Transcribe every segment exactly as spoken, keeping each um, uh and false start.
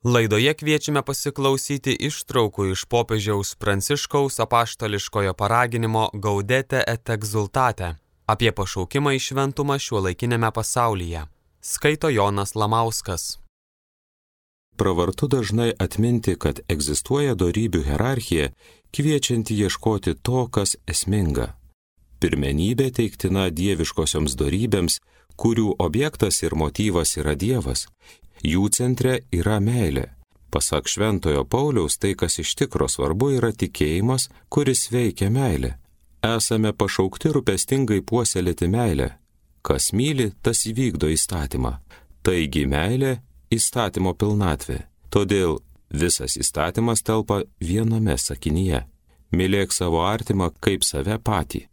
Laidoje kviečiame pasiklausyti ištraukų iš popiežiaus Pranciškaus apaštališkojo paraginimo Gaudete et exsultate apie pašaukimą į šventumą šiuolaikinėme pasaulyje. Skaito Jonas Lamauskas. Pravartu dažnai atminti, kad egzistuoja dorybių hierarchija, kviečianti ieškoti to, kas esminga. Pirmenybė teiktina dieviškosioms dorybėms, kurių objektas ir motyvas yra Dievas. Jų centre yra meilė. Pasak Šventojo Pauliaus, tai, kas iš tikro svarbu, yra tikėjimas, kuris veikia meilę. Esame pašaukti rūpestingai puoselėti meilę. Kas myli, tas įvykdo įstatymą. Taigi meilė – įstatymo pilnatvė. Todėl visas įstatymas telpa viename sakinyje. Mylėk savo artimą kaip save patį.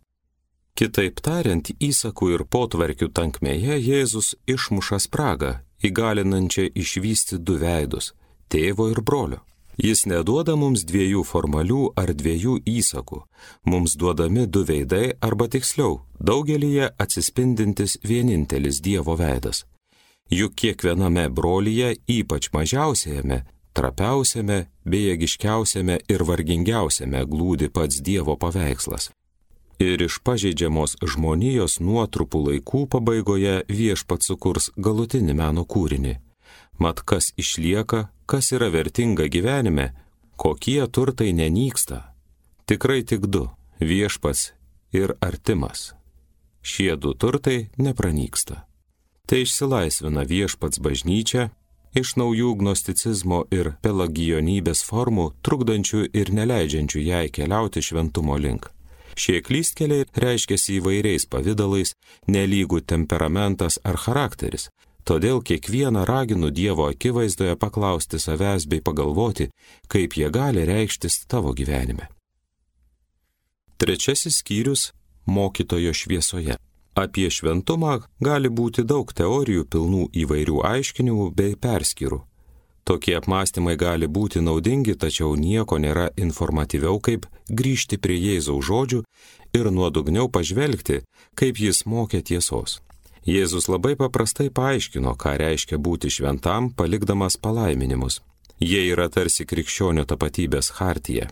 Kitaip tariant, įsakų ir potvarkių tankmėje Jėzus išmuša spragą, įgalinančią išvysti du veidus – tėvo ir brolio. Jis neduoda mums dviejų formalių ar dviejų įsakų, mums duodami du veidai arba tiksliau, daugelyje atsispindintis vienintelis Dievo veidas. Juk kiekviename brolyje, ypač mažiausiajame, trapiausiame, bejėgiškiausiame ir vargingiausiame glūdi pats Dievo paveikslas. Ir iš pažeidžiamos žmonijos nuotrupų laikų pabaigoje viešpats sukurs galutinį meno kūrinį. Mat kas išlieka, kas yra vertinga gyvenime, kokie turtai nenyksta. Tikrai tik du – viešpats ir artimas. Šie du turtai nepranyksta. Tai išsilaisvina viešpats bažnyčia iš naujų gnosticizmo ir pelagijonybės formų, trukdančių ir neleidžiančių jai keliauti šventumo link. Šie klystkeliai reiškiasi įvairiais pavidalais, nelygų temperamentas ar charakteris. Todėl kiekvieną raginu Dievo akivaizdoje paklausti savęs bei pagalvoti, kaip jie gali reikštis tavo gyvenime. Trečiasis skyrius – mokytojo šviesoje. Apie šventumą gali būti daug teorijų pilnų įvairių aiškinimų bei perskyrų. Tokie apmąstymai gali būti naudingi, tačiau nieko nėra informatyviau, kaip grįžti prie Jėzaus žodžių ir nuodugniau pažvelgti, kaip jis mokė tiesos. Jėzus labai paprastai paaiškino, ką reiškia būti šventam, palikdamas palaiminimus. Jie yra tarsi krikščionio tapatybės chartija.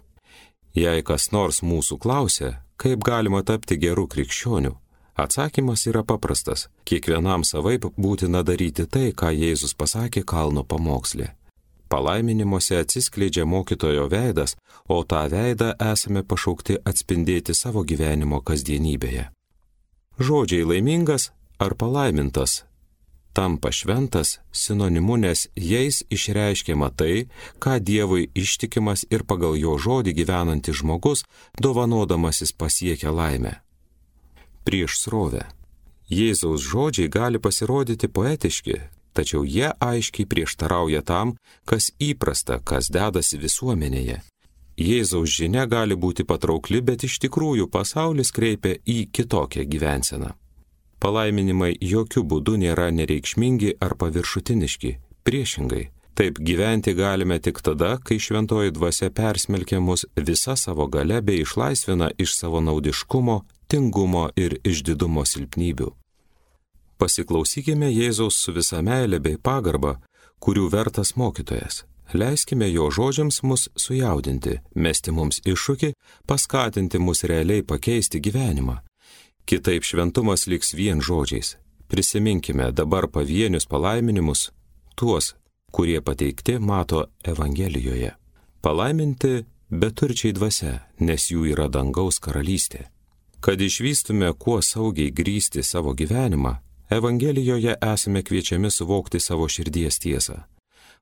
Jei kas nors mūsų klausia, kaip galima tapti geru krikščioniu, atsakymas yra paprastas. Kiekvienam savaip būtina daryti tai, ką Jėzus pasakė kalno pamoksle. Palaiminimuose atsiskleidžia mokytojo veidas, o tą veidą esame pašaukti atspindėti savo gyvenimo kasdienybėje. Žodžiai laimingas ar palaimintas tampa šventas sinonimu, nes jais išreiškiama tai, ką Dievui ištikimas ir pagal jo žodį gyvenantis žmogus, dovanodamasis pasiekia laimę. Prieš srovę. Jėzaus žodžiai gali pasirodyti poetiški, tačiau jie aiškiai prieštarauja tam, kas įprasta, kas dedasi visuomenėje. Jėzaus žinia gali būti patraukli, bet iš tikrųjų pasaulis kreipia į kitokią gyvenseną. Palaiminimai jokių būdų nėra nereikšmingi ar paviršutiniški, priešingai. Taip gyventi galime tik tada, kai šventoji dvasia persmelkia mus visa savo galia bei išlaisvina iš savo naudiškumo, tingumo ir išdidumo silpnybių. Pasiklausykime Jėzaus su visa meile bei pagarba, kurių vertas mokytojas. Leiskime jo žodžiams mus sujaudinti, mesti mums iššūkį, paskatinti mus realiai pakeisti gyvenimą. Kitaip šventumas liks vien žodžiais. Prisiminkime dabar pavienius palaiminimus, tuos, kurie pateikti mato Evangelijoje. Palaiminti beturčiai dvasia, nes jų yra dangaus karalystė. Kad išvystume kuo saugiai grįsti savo gyvenimą, Evangelijoje esame kviečiami suvokti savo širdies tiesą.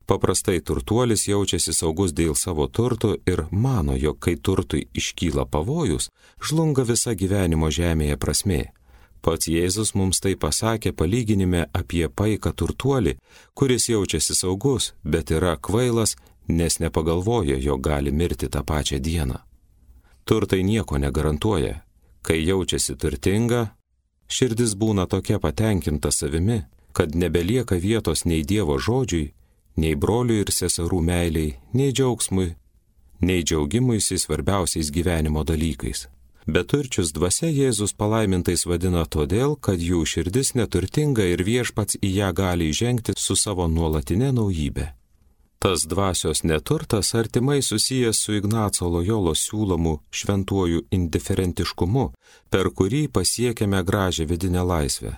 Paprastai turtuolis jaučiasi saugus dėl savo turtų ir mano, jog kai turtui iškyla pavojus, žlunga visa gyvenimo žemėje prasmė. Pats Jėzus mums tai pasakė palyginime apie paiką turtuolį, kuris jaučiasi saugus, bet yra kvailas, nes nepagalvoja, jog gali mirti tą pačią dieną. Turtai nieko negarantuoja. Kai jaučiasi turtinga, širdis būna tokia patenkinta savimi, kad nebelieka vietos nei Dievo žodžiui, nei brolių ir seserų meiliai, nei džiaugsmui, nei džiaugimuisi svarbiausiais gyvenimo dalykais. Beturčius dvasia Jėzus palaimintais vadina todėl, kad jų širdis neturtinga ir viešpats į ją gali įžengti su savo nuolatinė naujybė. Tas dvasios neturtas artimai susijęs su Ignaco Lojolos siūlomu šventuoju indiferentiškumu, per kurį pasiekiame gražią vidinę laisvę.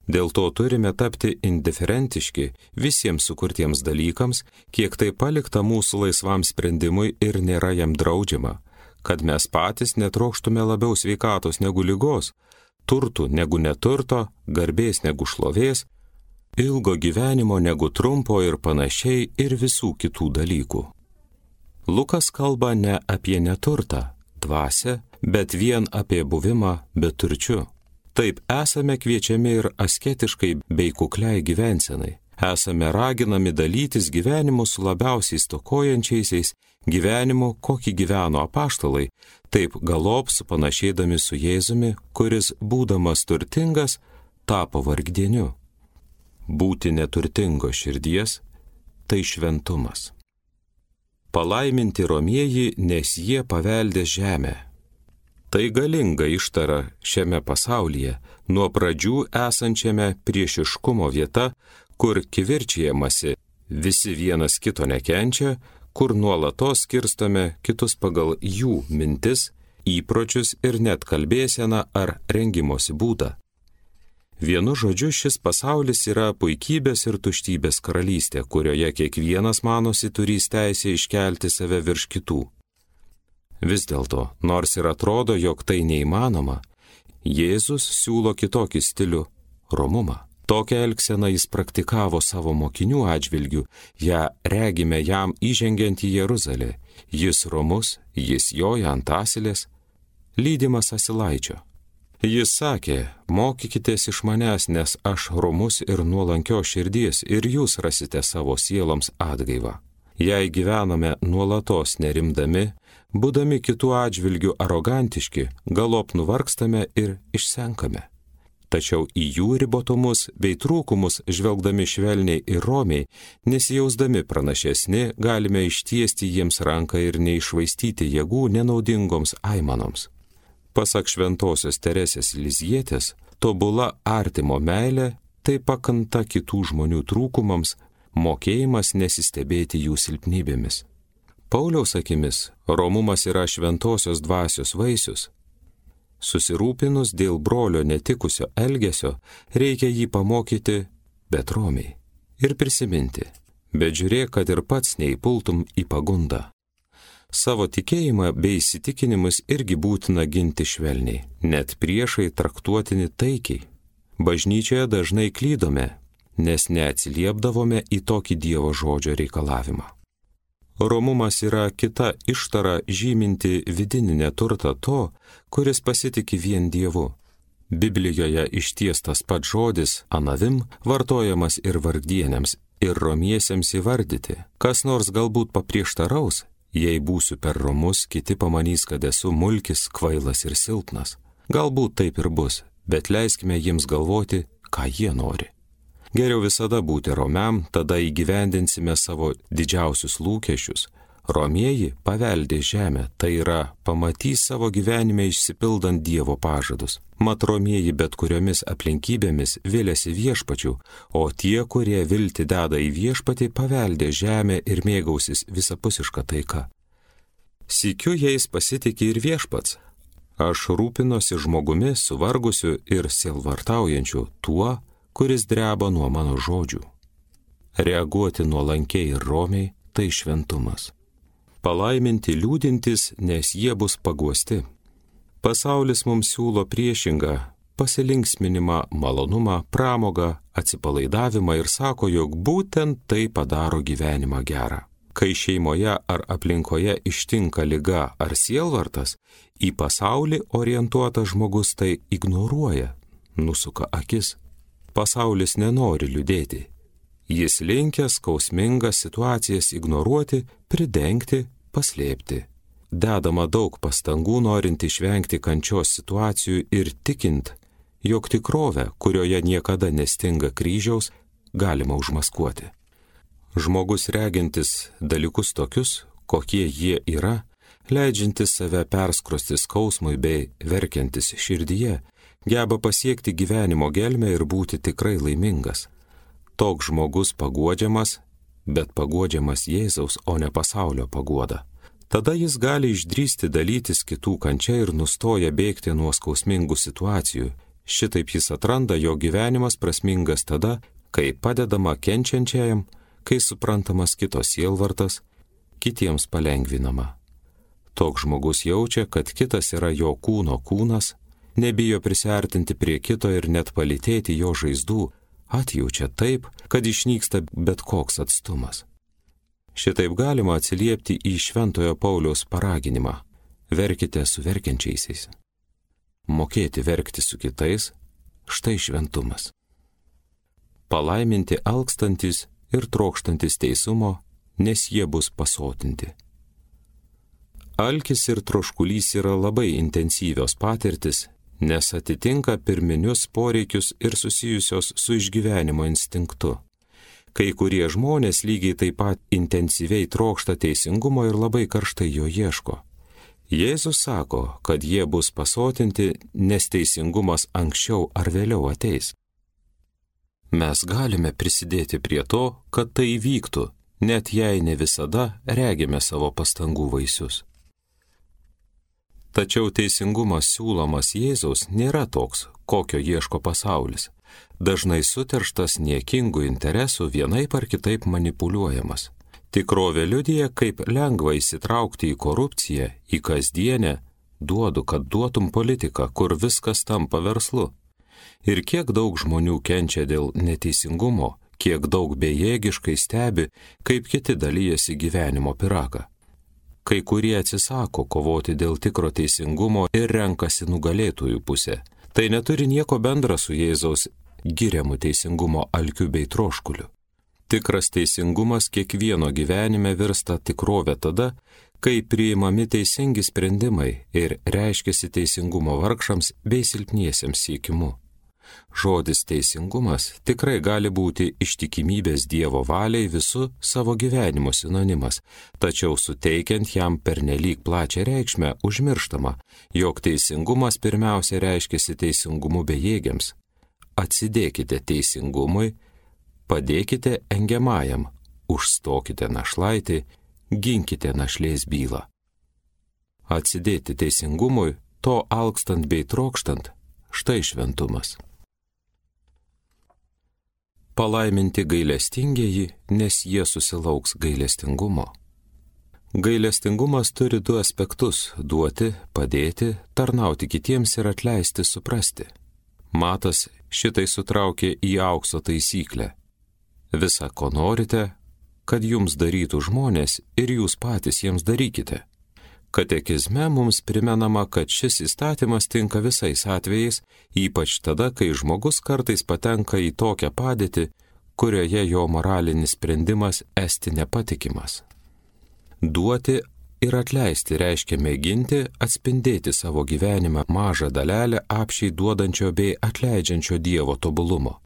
Dėl to turime tapti indiferentiški visiems sukurtiems dalykams, kiek tai palikta mūsų laisvam sprendimui ir nėra jam draudžiama, kad mes patys netrokštume labiau sveikatos negu ligos, turtų negu neturto, garbės negu šlovės, ilgo gyvenimo negu trumpo ir panašiai ir visų kitų dalykų. Lukas kalba ne apie neturtą, dvasią, bet vien apie buvimą beturčiu. Taip esame kviečiami ir asketiškai bei kukliai gyvensenai. Esame raginami dalytis gyvenimu su labiausiai stokojančiaisiais, gyvenimu, kokį gyveno apaštalai, taip galop supanašėdami su Jėzumi, kuris, būdamas turtingas, tapo vargdieniu. Būti neturtingo širdies – tai šventumas. Palaiminti romieji, nes jie paveldė žemę. Tai galinga ištara šiame pasaulyje, nuo pradžių esančiame priešiškumo vieta, kur kivirčijamasi, visi vienas kito nekenčia, kur nuolatos skirstome kitus pagal jų mintis, įpročius ir net kalbėseną ar rengimosi būdą. Vienu žodžiu, šis pasaulis yra puikybės ir tuštybės karalystė, kurioje kiekvienas manosi turys teisę iškelti save virš kitų. Vis dėlto, nors ir atrodo, jog tai neįmanoma, Jėzus siūlo kitokį stilių – romumą. Tokią elgseną jis praktikavo savo mokinių atžvilgių, ją regime jam įžengiant į Jeruzalę. Jis romus, jis joja ant asilės, lydimas asilaičio. Jis sakė, mokykitės iš manęs, nes aš romus ir nuolankios širdies ir jūs rasite savo sieloms atgaivą. Jei gyvename nuolatos nerimdami, būdami kitų atžvilgių arogantiški, galop nuvargstame ir išsenkame. Tačiau į jų ribotumus bei trūkumus žvelgdami švelniai ir romiai, nesijausdami pranašesni, galime ištiesti jiems ranką ir neišvaistyti jėgų nenaudingoms aimanoms. Pasak šventosios Teresės Lizjietės, tobula artimo meilė tai pakanta kitų žmonių trūkumams, mokėjimas nesistebėti jų silpnybėmis. Pauliaus akimis, romumas yra šventosios dvasios vaisius. Susirūpinus dėl brolio netikusio elgesio, reikia jį pamokyti, bet romiai. Ir prisiminti, bet žiūrėk, kad ir pats neįpultum į pagundą. Savo tikėjimą bei įsitikinimus irgi būtina ginti švelniai, net priešai traktuotini taikiai. Bažnyčioje dažnai klydome, nes neatsiliepdavome į tokį Dievo žodžio reikalavimą. Romumas yra kita ištara žyminti vidinį neturtą to, kuris pasitiki vien Dievu. Biblijoje ištiestas pats žodis anavim vartojamas ir vargdieniams, ir romiesiems įvardyti. Kas nors galbūt paprieštaraus, jei būsiu per romus, kiti pamanys, kad esu mulkis, kvailas ir silpnas. Galbūt taip ir bus, bet leiskime jiems galvoti, ką jie nori. Geriau visada būti romiam, tada įgyvendinsime savo didžiausius lūkesčius. Romieji paveldė žemę, tai yra pamatys savo gyvenime išsipildant Dievo pažadus. Mat romieji bet kuriomis aplinkybėmis viliasi viešpačių, o tie, kurie viltį deda į viešpatį, paveldė žemę ir mėgausis visapusiška taika. Sykiu jais pasitikė ir viešpats. Aš rūpinosi žmogumi suvargusiu ir sielvartaujančiu tuo, kuris dreba nuo mano žodžių. Reaguoti nuolankiai ir romiai – tai šventumas. Palaiminti liūdintys, nes jie bus paguosti. Pasaulis mums siūlo priešingą – pasilinksminimą, malonumą, pramogą, atsipalaidavimą ir sako, jog būtent tai padaro gyvenimą gerą. Kai šeimoje ar aplinkoje ištinka liga ar sielvartas, į pasaulį orientuotas žmogus tai ignoruoja, nusuka akis. Pasaulis nenori liūdėti. Jis linkęs skausmingas situacijas ignoruoti, pridengti, paslėpti. Dedama daug pastangų norint išvengti kančios situacijų ir tikint, jog tikrovę, kurioje niekada nestinga kryžiaus, galima užmaskuoti. Žmogus regintis dalykus tokius, kokie jie yra, leidžiantis save perskrosti skausmui bei verkiantis širdyje, geba pasiekti gyvenimo gelmę ir būti tikrai laimingas. Toks žmogus paguodžiamas, bet paguodžiamas Jėzaus, o ne pasaulio paguoda. Tada jis gali išdrįsti dalytis kitų kančia ir nustoja bėgti nuo skausmingų situacijų. Šitaip jis atranda, jo gyvenimas prasmingas tada, kai padedama kenčiančiajam, kai suprantamas kito sielvartas, kitiems palengvinama. Toks žmogus jaučia, kad kitas yra jo kūno kūnas, nebijo prisiartinti prie kito ir net palytėti jo žaizdų, atjaučia taip, kad išnyksta bet koks atstumas. Šitaip galima atsiliepti į Šventojo Pauliaus paraginimą – verkite su verkiančiaisiais. Mokėti verkti su kitais – štai šventumas. Palaiminti alkstantis ir trokštantis teisumo, nes jie bus pasotinti. Alkis ir troškulys yra labai intensyvios patirtis, nes atitinka pirminius poreikius ir susijusios su išgyvenimo instinktu. Kai kurie žmonės lygiai taip pat intensyviai trokšta teisingumo ir labai karštai jo ieško. Jėzus sako, kad jie bus pasotinti, nes teisingumas anksčiau ar vėliau ateis. Mes galime prisidėti prie to, kad tai įvyktų, net jei ne visada regime savo pastangų vaisius. Tačiau teisingumas siūlomas Jėzaus nėra toks, kokio ieško pasaulis. Dažnai suterštas niekingų interesų vienaip ar kitaip manipuliuojamas. Tikrovė liudija, kaip lengva įsitraukti į korupciją, į kasdienę, duodu, kad duotum politiką, kur viskas tampa verslu. Ir kiek daug žmonių kenčia dėl neteisingumo, kiek daug bejėgiškai stebi, kaip kiti dalyjasi gyvenimo pyragą. Kai kurie atsisako kovoti dėl tikro teisingumo ir renkasi nugalėtojų pusę. Tai neturi nieko bendra su Jėzaus giriamu teisingumo alkiu bei troškuliu. Tikras teisingumas kiekvieno gyvenime virsta tikrovė tada, kai priimami teisingi sprendimai ir reiškiasi teisingumo vargšams bei silpniesiems siekimu. Žodis teisingumas tikrai gali būti ištikimybės Dievo valiai visų savo gyvenimo sinonimas, tačiau suteikiant jam pernelyg plačią reikšmę užmirštama, jog teisingumas pirmiausia reiškiasi teisingumu bejėgiams. Atsidėkite teisingumui, padėkite engiamajam, užstokite našlaitį, ginkite našlės bylą. Atsidėti teisingumui, to alkstant bei trokštant, štai šventumas. Palaiminti gailestingieji, nes jie susilauks gailestingumo. Gailestingumas turi du aspektus – duoti, padėti, tarnauti kitiems ir atleisti suprasti. Matas šitai sutraukė į aukso taisyklę. Visa, ko norite, kad jums darytų žmonės ir jūs patys jiems darykite. Katekizme mums primenama, kad šis įstatymas tinka visais atvejais, ypač tada, kai žmogus kartais patenka į tokią padėtį, kurioje jo moralinis sprendimas esti nepatikimas. Duoti ir atleisti reiškia mėginti atspindėti savo gyvenimą mažą dalelę apšiai duodančio bei atleidžiančio Dievo tobulumo.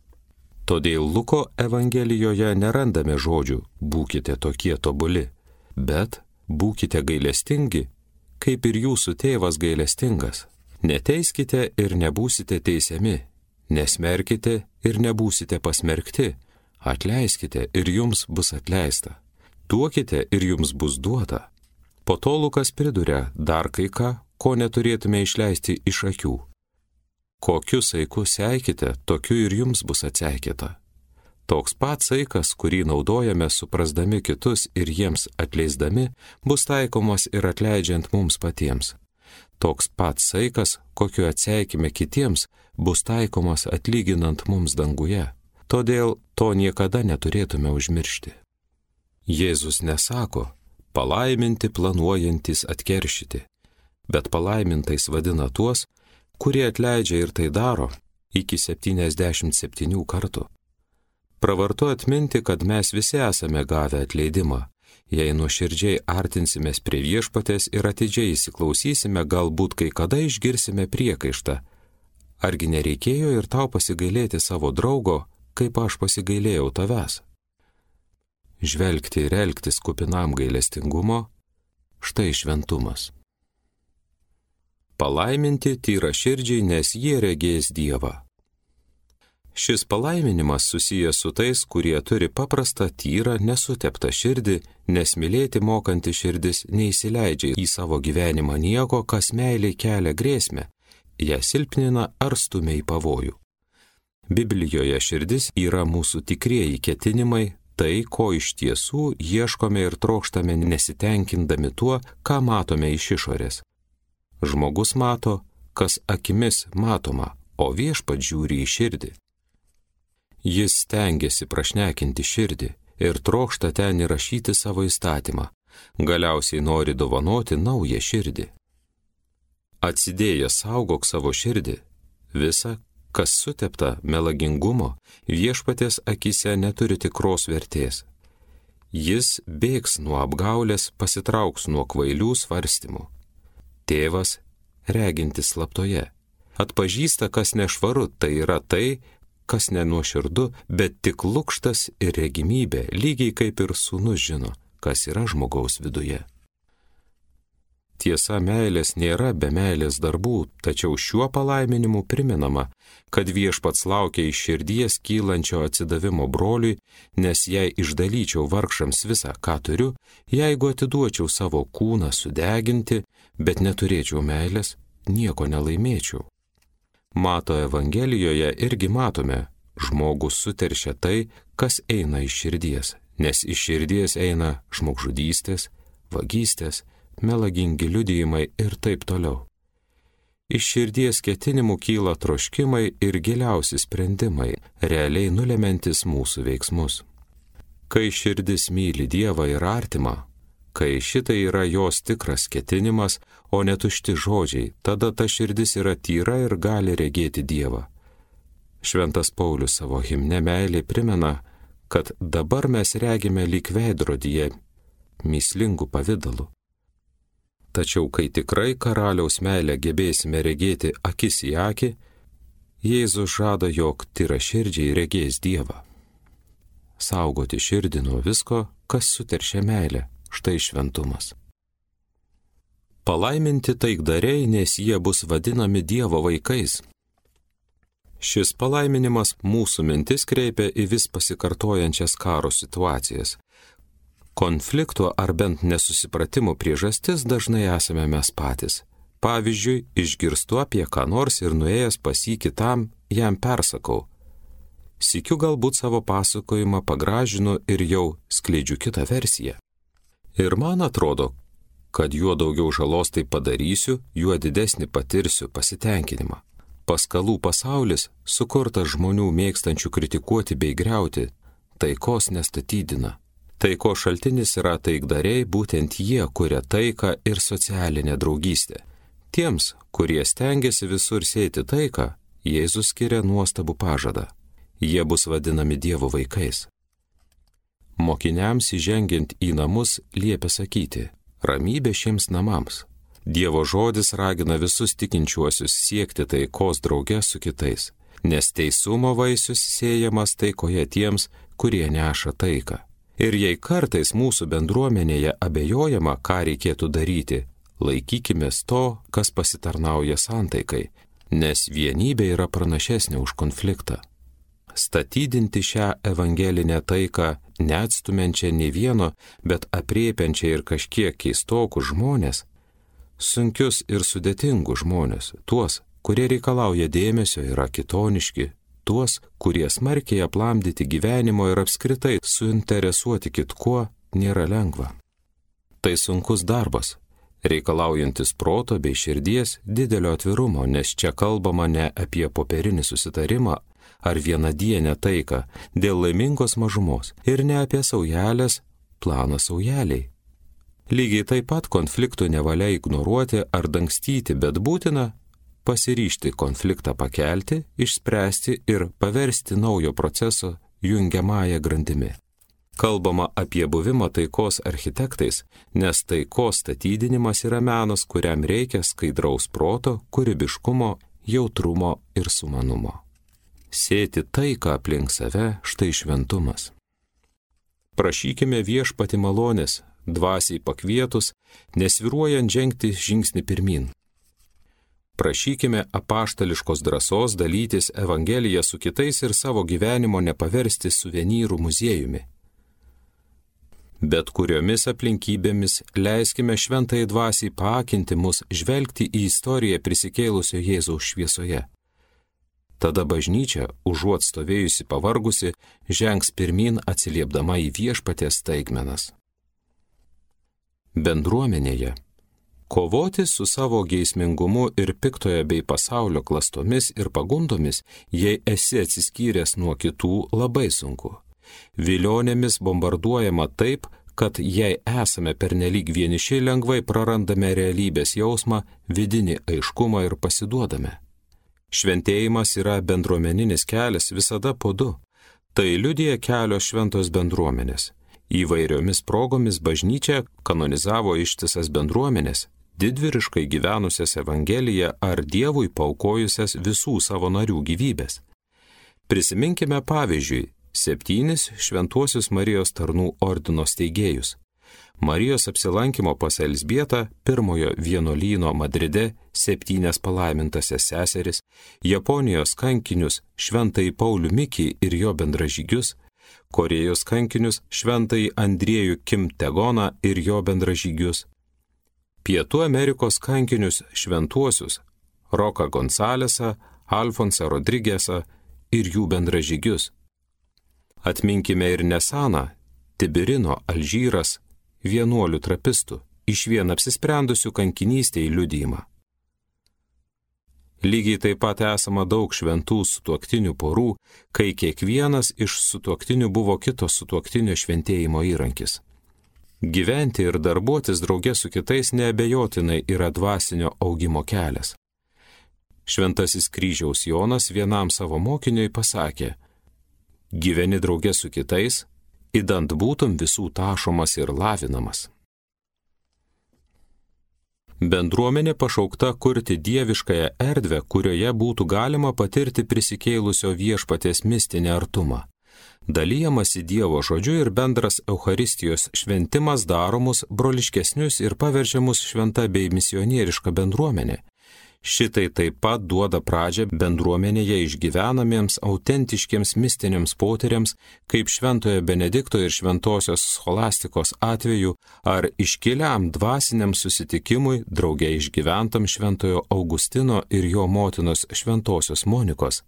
Todėl Luko Evangelijoje nerandame žodžių būkite tokie tobuli, bet būkite gailestingi, kaip ir jūsų tėvas gailestingas. Neteiskite ir nebūsite teisiami, nesmerkite ir nebūsite pasmerkti, atleiskite ir jums bus atleista, duokite ir jums bus duota. Po to Lukas priduria dar kai ką, ko neturėtume išleisti iš akių. Kokiu saiku seikite, tokiu ir jums bus atseikėta. Toks pats saikas, kurį naudojame suprasdami kitus ir jiems atleisdami, bus taikomas ir atleidžiant mums patiems. Toks pats saikas, kokiu atseikime kitiems, bus taikomas atlyginant mums danguje. Todėl to niekada neturėtume užmiršti. Jėzus nesako, palaiminti planuojantis atkeršyti, bet palaimintais vadina tuos, kurie atleidžia ir tai daro iki septyniasdešimt septynių kartų. Pravartu atminti, kad mes visi esame gavę atleidimą. Jei nuoširdžiai artinsimės prie viešpatės ir atidžiai įsiklausysime, galbūt kai kada išgirsime priekaištą. Argi nereikėjo ir tau pasigailėti savo draugo, kaip aš pasigailėjau tavęs? Žvelgti ir elgtis kupinam gailestingumo, štai šventumas. Palaiminti tyraširdžiai, nes jie regės Dievą. Šis palaiminimas susijęs su tais, kurie turi paprastą, tyrą, nesuteptą širdį, nes mylėti mokanti širdis neįsileidžia į savo gyvenimą nieko, kas meiliai kelia grėsmę, ją silpnina ar stumia į pavojų. Biblijoje širdis yra mūsų tikrieji ketinimai, tai, ko iš tiesų ieškome ir trokštame nesitenkindami tuo, ką matome iš išorės. Žmogus mato, kas akimis matoma, o viešpats žiūri į širdį. Jis stengiasi prašnekinti širdį ir trokšta ten įrašyti savo įstatymą, galiausiai nori dovanoti naują širdį. Atsidėjęs saugok savo širdį, visa, kas sutepta melagingumo, viešpaties akise neturi tikros vertės. Jis bėgs nuo apgaulės, pasitrauks nuo kvailių svarstymų. Tėvas, regintis slaptoje, atpažįsta, kas nešvaru, tai yra tai, kas nenuoširdu, bet tik lukštas ir regimybė, lygiai kaip ir sūnus žino, kas yra žmogaus viduje. Tiesa, meilės nėra be meilės darbų, tačiau šiuo palaiminimu priminama, kad viešpats laukia iš širdies kylančio atsidavimo broliui, nes jei išdalyčiau vargšams visą, ką turiu, jeigu atiduočiau savo kūną sudeginti, bet neturėčiau meilės, nieko nelaimėčiau. Mato Evangelijoje irgi matome, žmogus suteršia tai, kas eina iš širdies, nes iš širdies eina žmogžudystės, vagystės, melagingi liudijimai ir taip toliau. Iš širdies ketinimų kyla troškimai ir giliausi sprendimai, realiai nulemantis mūsų veiksmus. Kai širdis myli Dievą ir artimą, kai šitai yra jos tikras ketinimas, o ne tušti žodžiai, tada ta širdis yra tyra ir gali regėti Dievą. Šventas Paulius savo himne meilė primena, kad dabar mes regime lyg veidrodyje mįslingų pavidalų. Tačiau kai tikrai karaliaus meilę gebėsime regėti akis į akį, Jėzus žada, jog tyraširdžiai regės Dievą. Saugoti širdį nuo visko, kas suteršia meilę, štai šventumas. Palaiminti taikdariai, nes jie bus vadinami Dievo vaikais. Šis palaiminimas mūsų mintis kreipia į vis pasikartojančias karo situacijas. Konflikto ar bent nesusipratimo priežastis dažnai esame mes patys. Pavyzdžiui, išgirstu apie ką nors ir nuėjęs pas jį kitam, jam persakau. Sykiu galbūt savo pasakojimą pagražinu ir jau skleidžiu kitą versiją. Ir man atrodo, kad juo daugiau žalos tai padarysiu, juo didesnį patirsiu pasitenkinimą. Paskalų pasaulis, sukurtas žmonių mėgstančių kritikuoti bei griauti, taikos nestatydina. Taiko šaltinis yra taikdariai, būtent jie kuria taiką ir socialinę draugystę. Tiems, kurie stengiasi visur sėti taiką, Jėzus skiria nuostabų pažadą. Jie bus vadinami Dievo vaikais. Mokiniams įžengiant į namus liepia sakyti, ramybė šiems namams. Dievo žodis ragina visus tikinčiuosius siekti taikos drauge su kitais, nes teisumo vaisius sėjamas taikoje tiems, kurie neša taiką. Ir jei kartais mūsų bendruomenėje abejojama, ką reikėtų daryti, laikykimės to, kas pasitarnauja santaikai, nes vienybė yra pranašesnė už konfliktą. Statydinti šią evangelinę taiką, neatstumiančią nei vieno, bet apriepiančią ir kažkiek keistokus žmonės, sunkius ir sudėtingus žmonės, tuos, kurie reikalauja dėmesio, yra kitoniški, tuos, kurie smarkiai aplamdyti gyvenimo ir apskritai suinteresuoti kitkuo, nėra lengva. Tai sunkus darbas, reikalaujantis proto bei širdies didelio atvirumo, nes čia kalbama ne apie popierinį susitarimą ar vienadienę taiką dėl laimingos mažumos ir ne apie saujelės planą saujeliai. Lygiai taip pat konfliktų nevalia ignoruoti ar dangstyti, bet būtina pasiryžti konfliktą pakelti, išspręsti ir paversti naujo proceso jungiamąją grandimi. Kalbama apie buvimą taikos architektais, nes taikos statydinimas yra menas, kuriam reikia skaidraus proto, kūrybiškumo, jautrumo ir sumanumo. Sėti taiką aplink save, štai šventumas. Prašykime viešpatį malonės, dvasiai pakvietus, nesvyruojant žengti žingsnį pirmin. Prašykime apaštališkos drąsos dalytis Evangeliją su kitais ir savo gyvenimo nepaversti suvenyrų muziejumi. Bet kuriomis aplinkybėmis leiskime šventai dvasiai paakinti mus žvelgti į istoriją prisikėlusio Jėzaus šviesoje. Tada bažnyčia, užuot stovėjusi pavargusi, žengs pirmin atsiliepdama į viešpaties staigmenas. Bendruomenėje. Kovoti su savo geismingumu ir piktoje bei pasaulio klastomis ir pagundomis, jei esi atsiskyręs nuo kitų, labai sunku. Vilionėmis bombarduojama taip, kad jei esame pernelyg vieniši, lengvai prarandame realybės jausmą, vidinį aiškumą ir pasiduodame. Šventėjimas yra bendruomeninis kelias visada po du. Tai liudija kelios šventos bendruomenės. Įvairiomis progomis bažnyčia kanonizavo ištisas bendruomenės, didvyriškai gyvenusias Evangeliją ar Dievui paukojusias visų savo narių gyvybės. Prisiminkime pavyzdžiui septynis šventuosius Marijos tarnų ordino steigėjus. Marijos apsilankimo pas Elzbietą, pirmojo vienuolyno Madride, septynias palaimintasias seseris, Japonijos kankinius šventąjį Paulių Mikį ir jo bendražygius, Korėjos kankinius šventąjį Andriejų Kim Tegoną ir jo bendražygius, Pietų Amerikos kankinius šventuosius Roką Gonsalesą, Alfonsą Rodrigesą ir jų bendražygius. Atminkime ir Nesaną, Tibirino, Alžyras, vienuolių trapistų, išvien apsisprendusių kankinystėj liudijimą. Lygiai taip pat esama daug šventų sutuoktinių porų, kai kiekvienas iš sutuoktinių buvo kito sutuoktinio šventėjimo įrankis. Gyventi ir darbuotis drauge su kitais neabejotinai yra dvasinio augimo kelias. Šventasis kryžiaus Jonas vienam savo mokiniui pasakė: gyveni drauge su kitais, idant būtum visų tašomas ir lavinamas. Bendruomenė pašaukta kurti dieviškąją erdvę, kurioje būtų galima patirti prisikėlusio viešpaties mistinį artumą. Dalyjamasi Dievo žodžiu ir bendras Eucharistijos šventimas daromus broliškesnius ir paverčiamus šventa bei misionieriška bendruomenė. Šitai taip pat duoda pradžią bendruomenėje išgyvenamiems autentiškiems mistiniams potyriams, kaip šventojo Benedikto ir šventosios scholastikos atveju, ar iškiliam dvasiniam susitikimui drauge išgyventam šventojo Augustino ir jo motinos šventosios Monikos.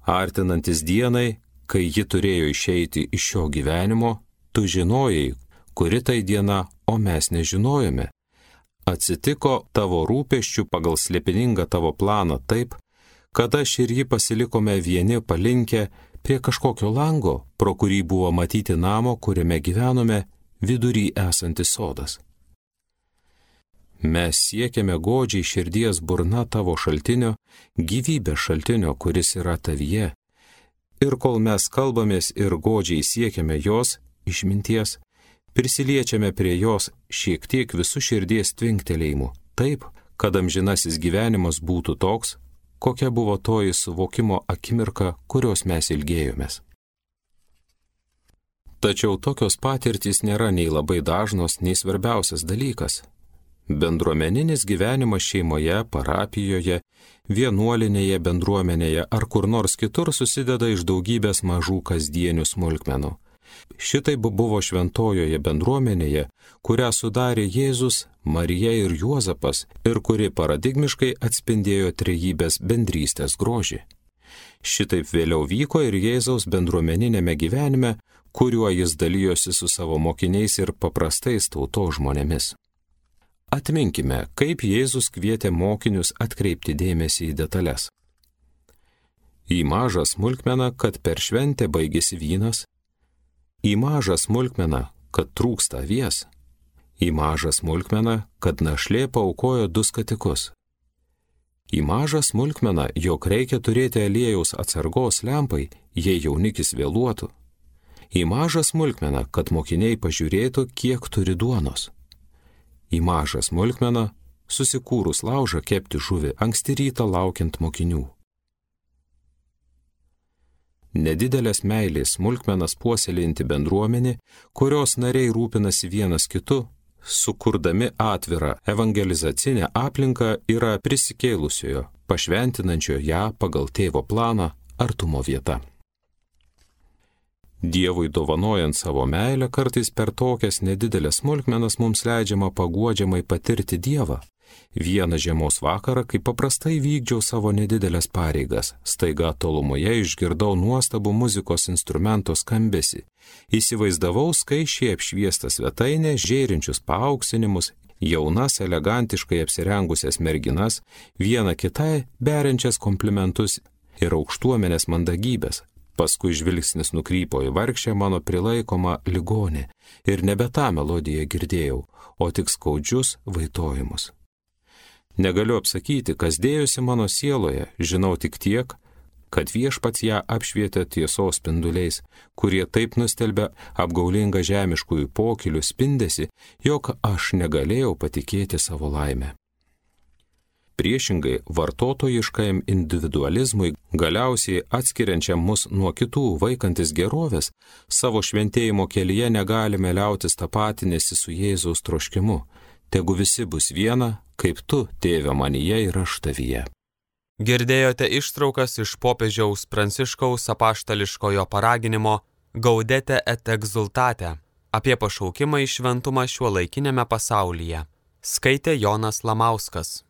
Artinantis dienai, kai ji turėjo išeiti iš šio gyvenimo, tu žinojai, kuri tai diena, o mes nežinojome. Atsitiko tavo rūpesčių pagal slėpiningą tavo planą taip, kad aš ir jį pasilikome vieni palinkę prie kažkokio lango, pro kurį buvo matyti namo, kuriame gyvenome, vidury esantis sodas. Mes siekiame godžiai širdies burna tavo šaltinio, gyvybės šaltinio, kuris yra tavyje. Ir kol mes kalbamės ir godžiai siekiame jos, išminties, prisiliečiame prie jos šiek tiek visų širdies tvinktelėjimų, taip, kad amžinasis gyvenimas būtų toks, kokia buvo toji suvokimo akimirka, kurios mes ilgėjomės. Tačiau tokios patirtys nėra nei labai dažnos, nei svarbiausias dalykas. Bendruomeninis gyvenimas šeimoje, parapijoje, vienuolinėje bendruomenėje ar kur nors kitur susideda iš daugybės mažų kasdienių smulkmenų. Šitai buvo šventojoje bendruomenėje, kurią sudarė Jėzus, Marija ir Juozapas ir kuri paradigmiškai atspindėjo trejybės bendrystės grožį. Šitaip vėliau vyko ir Jėzaus bendruomeninėme gyvenime, kuriuo jis dalijosi su savo mokiniais ir paprastais tautos žmonėmis. Atminkime, kaip Jėzus kvietė mokinius atkreipti dėmesį į detalės. Į mažą smulkmeną, kad per šventę baigėsi vynas, į mažą smulkmeną, kad trūksta avies, į mažą smulkmeną, kad našlė paaukojo du skatikus, į mažą smulkmeną, jog reikia turėti aliejaus atsargos lempai, jei jaunikis vėluotų, į mažą smulkmeną, kad mokiniai pažiūrėtų, kiek turi duonos, į mažą smulkmeną, susikūrus laužą kepti žuvį anksti rytą laukiant mokinių. Nedidelės meilės smulkmenas puoselėjanti bendruomenė, kurios nariai rūpinasi vienas kitu, sukurdami atvirą evangelizacinę aplinką, yra prisikėlusiojo, pašventinančio ją pagal tėvo planą artumo vieta. Dievui dovanojant savo meilę, kartais per tokias nedidelės smulkmenas mums leidžiama paguodžiamai patirti Dievą. Vieną žiemos vakarą, kai paprastai vykdžiau savo nedidelės pareigas, staiga tolumoje išgirdau nuostabų muzikos instrumento skambesį. Įsivaizdavau skaičiai apšviestą svetainę, žėrinčius paauksinimus, jaunas, elegantiškai apsirengusias merginas, viena kitai beriančias komplimentus ir aukštuomenės mandagybės. Paskui žvilgsnis nukrypo į vargšę mano prilaikomą ligonį ir nebe tą melodiją girdėjau, o tik skaudžius vaitojimus. Negaliu apsakyti, kas dėjosi mano sieloje, žinau tik tiek, kad Viešpats ją apšvietė tiesos spinduliais, kurie taip nustelbė apgaulingą žemiškųjų pokylių spindesį, jog aš negalėjau patikėti savo laimę. Priešingai, vartotojiškajam individualizmui, galiausiai atskiriančiam mus nuo kitų vaikantis gerovės, savo šventėjimo kelyje negalime liautis tapatinėsi su Jėzaus troškimu. Tegu visi bus viena, kaip tu, tėve, manyje ir aš tavyje. Girdėjote ištraukas iš popiežiaus Pranciškaus apaštališkojo paraginimo Gaudete et exultate apie pašaukimą į šventumą šiuolaikinėme pasaulyje. Skaitė Jonas Lamauskas.